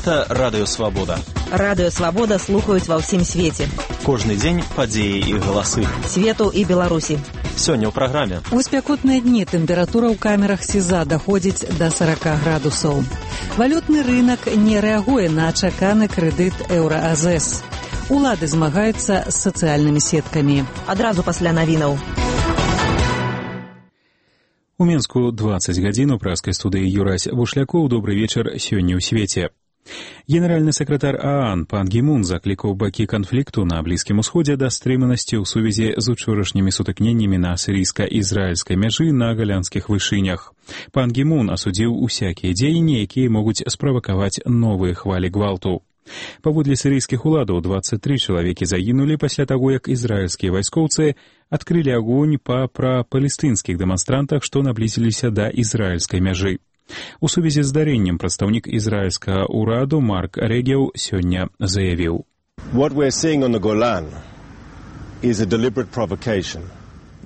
Гэта Радыё Свабода. Радыё Свабода слухаюць ва ўсім свеце. Кожны дзень падзеі і галасы. Свету і Беларусі. Сёння ў праграме. У спякотныя дні тэмпература ў камерах СІЗА даходзіць да 40 градусаў. Валютны рынак не рэагуе на чаканы крэдыт еўра-АЗС. Улады змагаюцца з сацыяльнымі сеткамі. Адразу пасля навінаў. У Мінску 20 гадзін у праскай студыі Юрась Бушлякоў. Добры вечар сёння ў свеце. Генеральны сакратар ААН пан Гі Мун заклікаў бакі канфлікту на Блізкім Усходзе да стрыманасці ў сувязі з учорашнімі сутыкненнямі на сірыйска-ізраільскай мяжы на галянскіх вышынях. Пан Гі Мун асудзіў усякія дзеянні, якія могуць справакаваць новыя хвалі гвалту. Паводле сірыйскіх уладаў 23 чалавекі загінулі пасля таго, як ізраільскія вайскоўцы адкрылі агонь па прапалестынскіх дэманстрантах, што наблізіліся да ізраільскай мяжы. У сувязі з здарэннем прадстаўнік ізраільскага ўраду Марк Регеў сёння заявіў: What we're seeing on the Golan is a deliberate provocation.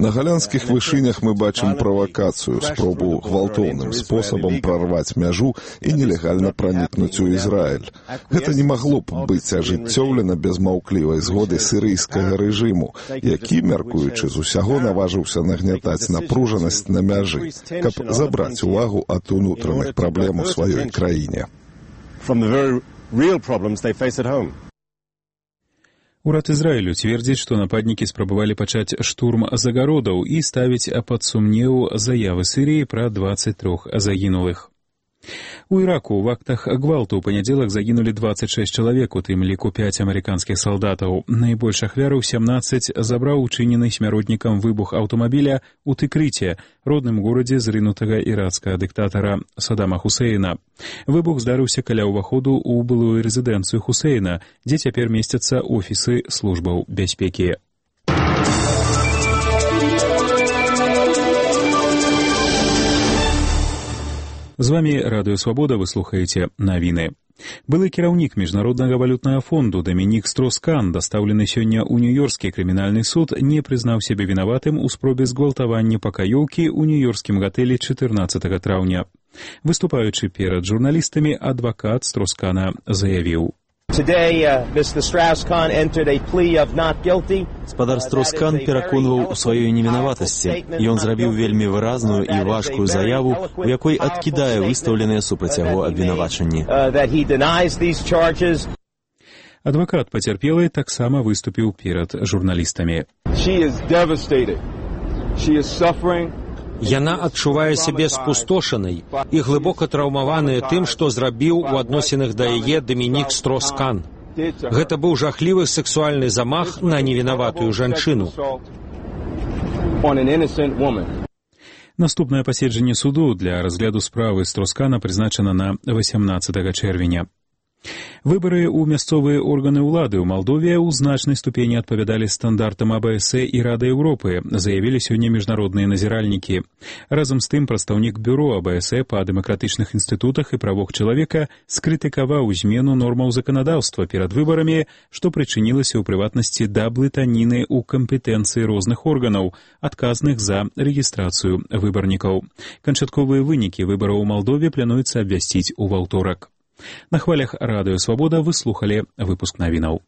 На галянскіх вышынях мы бачым правакацыю, спробу гвалтоўным спосабам прарваць мяжу і нелегальна пранікнуць у Ізраіль. Гэта не магло б быць ажыццёўлена без маўклівай згоды сірыйскага рэжыму, які, мяркуючы з усяго, наважыўся нагнятаць напружанасць на мяжы, каб забраць увагу ад унутраных праблем у сваёй краіне. Урад Ізраілю цвердзіць, што нападнікі спрабавалі пачаць штурм загародаў і ставіць пад сумнеў заявы Сірыі пра 23 загінулых. У Іраку ў актах гвалту ў панядзелак загінулі 26 чалавек, у тым ліку 5 амерыканскіх салдатаў. Найбольш ахвяраў 17 забраў учынены смяротнікам выбух аўтамабіля ў Тыкрыце, родным горадзе зрынутага іракскага дыктатара Саддама Хусейна. Выбух здарыўся каля ўваходу ў былую рэзідэнцыю Хусейна, дзе цяпер месцяцца офісы службаў бяспекі. З вамі Радыё Свабода, вы слухаеце навіны. Былы кіраўнік Міжнароднага валютнага фонду Дамінік Строскан, дастаўлены сёння ў Нью-Йоркскі крымінальны суд, не прызнаў сябе вінаватым у спробе згвалтавання пакаёўкі ў нью-йоркскім гатэлі 14 траўня. Выступаючы перад журналістамі, адвакат Строскана заявіў: Спадар Строскан пераконваў у сваёй невінаватасці. Ён зрабіў вельмі выразную і важкую заяву, у якой адкідае выстаўленыя супраць яго абвінавачанні. Адвакат пацярпелай таксама выступіў перад журналістамі. Яна адчувае сябе спустошанай і глыбока траўмаваная тым, што зрабіў у адносінах да яе Дамінік Строскан. Гэта быў жахлівы сексуальны замах на невінаватую жанчыну. Наступнае паседжанне суду для разгляду справы Строскана прызначана на 18 чэрвеня. Выбары ў мясцовыя органы ўлады ў Малдове ў значнай ступені адпавядалі стандартам АБСЭ і Рады Еўропы, заявілі сёння міжнародныя назіральнікі. Разам з тым прадстаўнік бюро АБСЭ па дэмакратычных інстытутах і правах чалавека скрытыкаваў змену нормаў заканадаўства перад выбарамі, што прычынілася ў прыватнасці да блытаніны ў кампетэнцыі розных органаў, адказных за рэгістрацыю выбарнікаў. Канчатковыя вынікі выбараў у Малдове плануецца абвясціць у аўторак. На хвалях Радыё Свабода вы слухалі выпуск навінаў.